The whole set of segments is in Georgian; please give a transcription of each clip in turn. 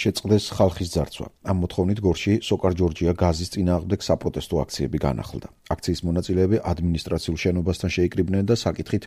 შეწყდეს ხალხის ძარცვა. ამ მოთხოვნით გორში სოკარ ჯორჯია გაზის წინააღმდეგ საპროტესტო აქციები განახლდა. აქციის მონაწილეები ადმინისტრაციულ შენობასთან შეიკრიბნენ და საკითხით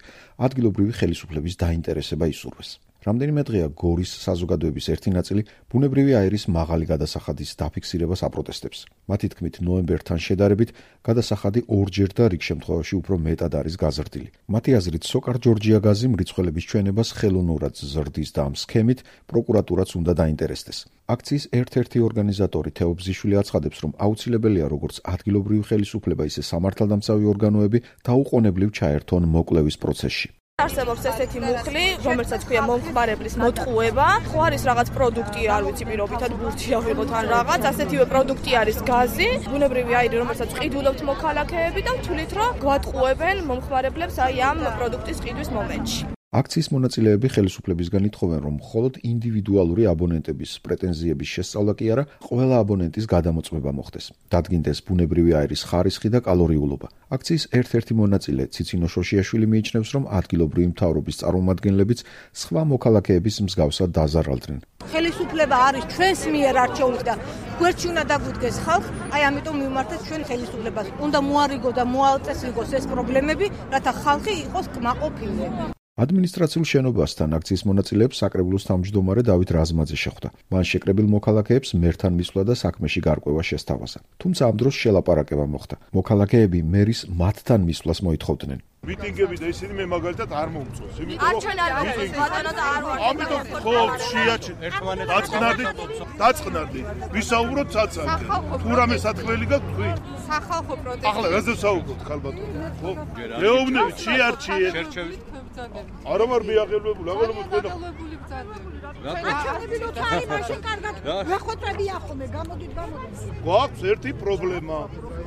ადგილობრივი ხელისუფლების დაინტერესება ისურვეს. რამდენიმე დღეა გორის საზოგადოების ერთი ნაწილი ბუნებრივი აირის მაღალი გადასახადის დაფიქსირებას აპროტესტებს. მათი თქმით, ნოემბერთან შედარებით გადასახადი ორჯერ და რიგ შემთხვევაში უფრო მეტად არის გაზრდილი. მათი აზრით, სოკარ ჯორჯია გაზი მრიცხველების ჩვენებას ხელოვნურად ზრდის და ამ სქემით პროკურატურაც უნდა დაინტერესდეს. აქციის ერთ-ერთი ორგანიზატორი თეო ბზიშვილი აცხადებს, რომ აუცილებელია როგორც ადგილობრივი ხელისუფლება, ისე სამართალდამცავი ორგანოები დაუყოვნებლივ ჩაერთონ მოკვლევის პროცესში. არსებობს ესეთი მუხლი, რომელსაც ქვია მომხმარებლის მოტყუება. ხო არის რაღაც პროდუქტი, არ ვიცი პირობითად ბურთი ავიღოთ ან რაღაც, ასეთივე პროდუქტი არის გაზი, ბუნებრივი აირი, რომელსაც ყიდულობთ მოქალაქეები და თulit რომ გვატყუებენ მომხმარებლებს აი ამ პროდუქტის ყიდვის მომენტში. აქციის მონაწილეები ხელისუფლებისგან ითხოვენ, რომ მხოლოდ ინდივიდუალური აბონენტების პრეტენზიების შესწავლა კი არა, ყველა აბონენტის გადამოწმება მოხდეს. დადგინდეს ბუნებრივი აირის ხარისხი და კალორიულობა. აქციის ერთ-ერთი მონაწილე ციცინო შოშიაშვილი მიიჩნევს, რომ ადგილობრივი მთავრობის წარმომადგენლებიც სხვა მოქალაქეების მსგავსად დაზარალდნენ. ხელისუფლება არის ჩვენს მიერ არჩეული და გვერდში უნდა დაგვიდგეს ხალხ, აი ამიტომ მივმართეთ ჩვენ ხელისუფლებას. უნდა მოარიგო და მოალწესრიგოს ეს პრობლემები, რათა ხალხი იყოს კმაყოფილი. ადმინისტრაციულ შენობასთან აქციის მონაწილეებს საკრებულოს თავმჯდომარე დავით რაზმაძე შეხვდა. მან შეკრებილ მოქალაქეებს მერთან მისვლა და საქმეში გარკვევა შესთავაზა. თუმცა ამ დროს შელაპარაკება მოხდა. მოქალაქეები მერის მათთან მისვლას მოითხოვდნენ. მიტინგები და ისინი მე მაგალითად არ მომწონს. ამიტომ ხო შეაჩენ ერთმანეთს დაწყნარდი. ვისაუბროთ ცაცალკე. თუ რამე სათხმელი გაქვთ თქვი? სახალხო პროტესტი. ახლა რაზე საუბრობთ ხალბატონო? ხო? მეუბნებით შეარჩიეთ. არა მარ მიაღებებული, აღელმოთ ყველა. აჩვენებილოთ არის მაშინ კარგად. ვეხოტრებია ხოლმე, გამოდით. გვაქვს ერთი პრობლემა.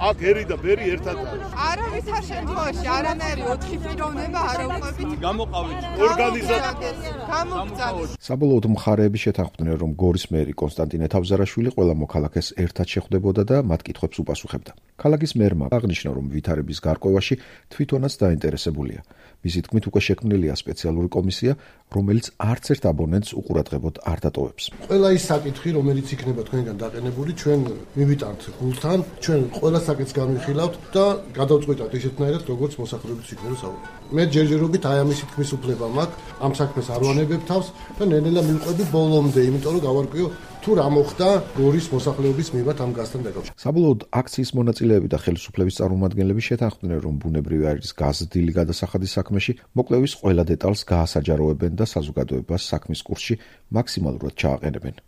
აქ ერი და ბერი ერთად არის. არავითარ შემთხვევაში არანაირი 4 პიროვნება არ უყვებით. გამოყავით ორგანიზაცია. გამოგწალეთ. საბოლოოდ მხარეები შეთანხმდნენ, რომ გორის მერი კონსტანტინე თავზარაშვილი ყველა მოქალაქეს ერთად შეხვდებოდა და მათ კითხვებს უპასუხებდა. ქალაქის მერმა აღნიშნა, რომ ვითარების გარკვევაში თვითონაც დაინტერესებულია. მისი თქმით, უკვე შექმნილია სპეციალური კომისია, რომელიც არც ერთ აბონენტს უყურადღებოდ არ დატოვებს. ყველა ის საკითხი, რომელიც იქნება თქვენგან დაყენებული, ჩვენ მივიტანთ გულთან, ჩვენ ყველა საკითხს განვიხილავთ და გადავწყვეტავთ ისეთნაირად, როგორც მოსახლეობის იქნება საუბარი. მე ჯერჯერობით აი ამის თქმის უფლება მაქვს, ამ საქმეს არ ვანებებ თავს და ნელ-ნელა მივყვები ბოლომდე, იმიტომ რომ გავარკვიო თუ რა მოხდა გორის მოსახლეობის მიმართ ამ გაზთან დაკავშირებით. საბოლოოდ აქციის მონაწილეები და ხელისუფლების წარმომადგენლები შეთანხმდნენ, რომ ბუნებრივი აირის გაზრდილი გადასახადის საქმეში მოკვლევის ყველა დეტალს გაასაჯაროებენ და საზოგადოებას საქმის კურსში მაქსიმალურად ჩააყენებენ.